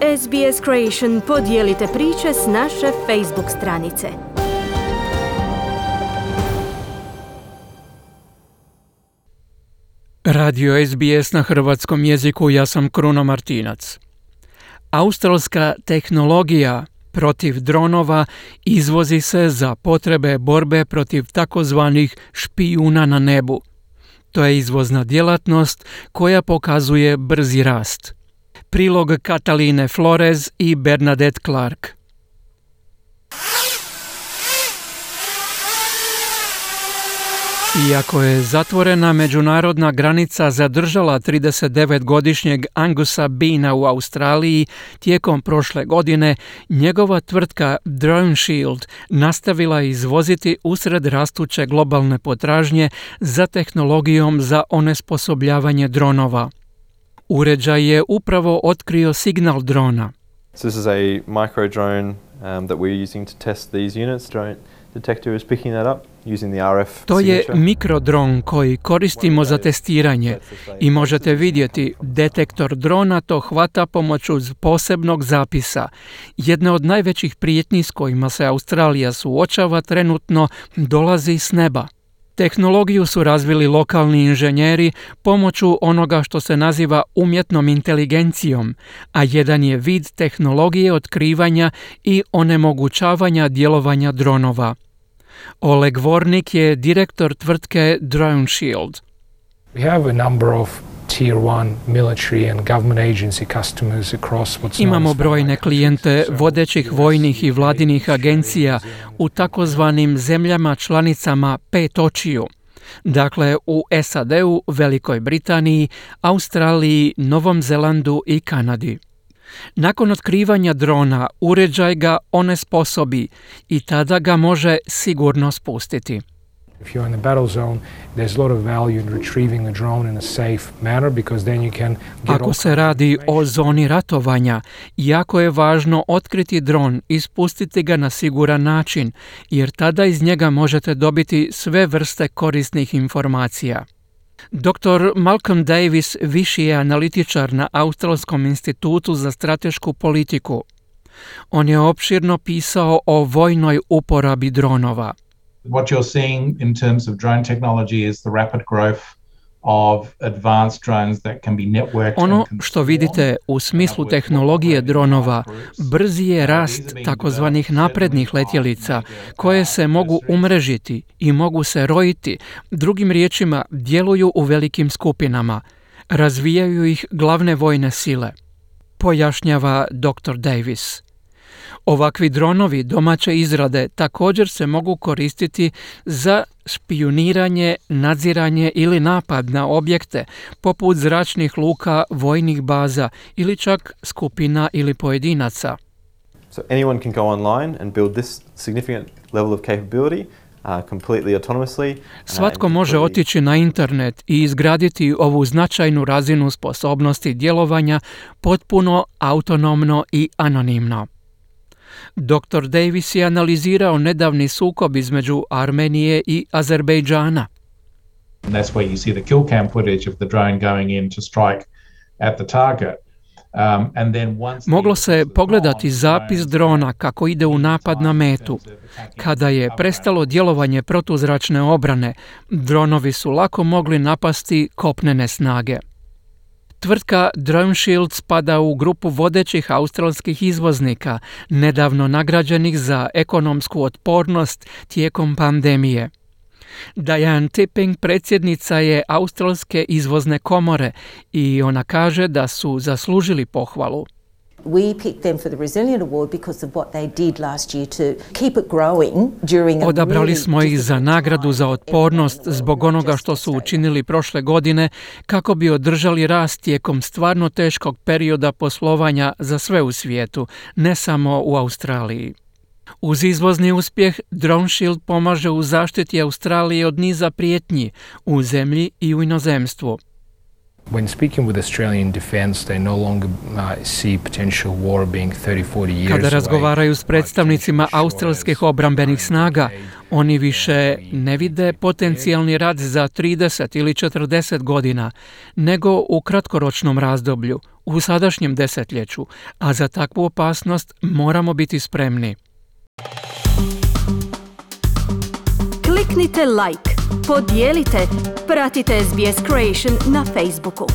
SBS Creation podijelite priče s naše Facebook stranice. Radio SBS na hrvatskom jeziku, ja sam Kruno Martinac. Australska tehnologija protiv dronova izvozi se za potrebe borbe protiv takozvanih špijuna na nebu. To je izvozna djelatnost koja pokazuje brzi rast. Prilog Kataline Flores i Bernadette Clark. Iako je zatvorena međunarodna granica zadržala 39-godišnjeg Angusa Beana u Australiji, tijekom prošle godine njegova tvrtka DroneShield nastavila izvoziti usred rastuće globalne potražnje za tehnologijom za onesposobljavanje dronova. Uređaj je upravo otkrio signal drona. So this is a micro drone that we're using to test these units. Drone detector is picking that up using the RF To je signature. mikrodron koji koristimo za testiranje i možete vidjeti detektor drona to hvata pomoću posebnog zapisa. Jedna od najvećih prijetnji s kojima se Australija suočava trenutno dolazi s neba. Tehnologiju su razvili lokalni inženjeri pomoću onoga što se naziva umjetnom inteligencijom, a jedan je vid tehnologije otkrivanja i onemogućavanja djelovanja dronova. Oleg Vornik je direktor tvrtke DroneShield. We have a number of Tier 1 military and government agency customers across what's known Imamo as brojne klijente vodećih vojnih i vladinih agencija u takozvanim zemljama članicama pet očiju. Dakle, u SAD-u, Velikoj Britaniji, Australiji, Novom Zelandu i Kanadi. Nakon otkrivanja drona, uređaj ga onesposobi i tada ga može sigurno spustiti. If you're in the battle zone, there's a lot of value in retrieving the drone in a safe manner because then you can get Ako se radi o zoni ratovanja, jako je važno otkriti dron i spustiti ga na siguran način, jer tada iz njega možete dobiti sve vrste korisnih informacija. Dr. Malcolm Davis viši je analitičar na Australskom institutu za stratešku politiku. On je opširno pisao o vojnoj uporabi dronova. What you're seeing in terms of drone technology is the rapid growth of advanced drones that can be networked. Ono što vidite u smislu tehnologije dronova, brzi je rast takozvanih naprednih letjelica koje se mogu umrežiti i mogu se rojiti, drugim riječima djeluju u velikim skupinama, razvijaju ih glavne vojne sile, pojašnjava dr. Davis. Ovakvi dronovi domaće izrade također se mogu koristiti za špijuniranje, nadziranje ili napad na objekte poput zračnih luka, vojnih baza ili čak skupina ili pojedinaca. So anyone can go online and build this significant level of capability completely autonomously. Svatko može otići na internet i izgraditi ovu značajnu razinu sposobnosti djelovanja potpuno autonomno i anonimno. Dr. Davis je analizirao nedavni sukob između Armenije i Azerbejdžana. And that's where you see the kill cam footage of the drone going in to strike at the target. Moglo se pogledati zapis drona kako ide u napad na metu. Kada je prestalo djelovanje protuzračne obrane, dronovi su lako mogli napasti kopnene snage. Tvrtka DroneShield spada u grupu vodećih australskih izvoznika, nedavno nagrađenih za ekonomsku otpornost tijekom pandemije. Diane Tipping predsjednica je Australske izvozne komore i ona kaže da su zaslužili pohvalu. We picked them for the Resilient Award because of what they did last year to keep it growing during a Odabrali smo ih za nagradu za otpornost zbog onoga što su učinili prošle godine kako bi održali rast tijekom stvarno teškog perioda poslovanja za sve u svijetu, ne samo u Australiji. Uz izvozni uspjeh, DroneShield pomaže u zaštiti Australije od niza prijetnji u zemlji i u inozemstvu. When speaking with Australian defence, they no longer see potential war being 30-40 years Kada away. razgovaraju s predstavnicima australskih obrambenih snaga, oni više ne vide potencijalni rat za 30 ili 40 godina, nego u kratkoročnom razdoblju, u sadašnjem desetljeću, a za takvu opasnost moramo biti spremni. Kliknite like, podijelite, pratite SBS Creation na Facebooku.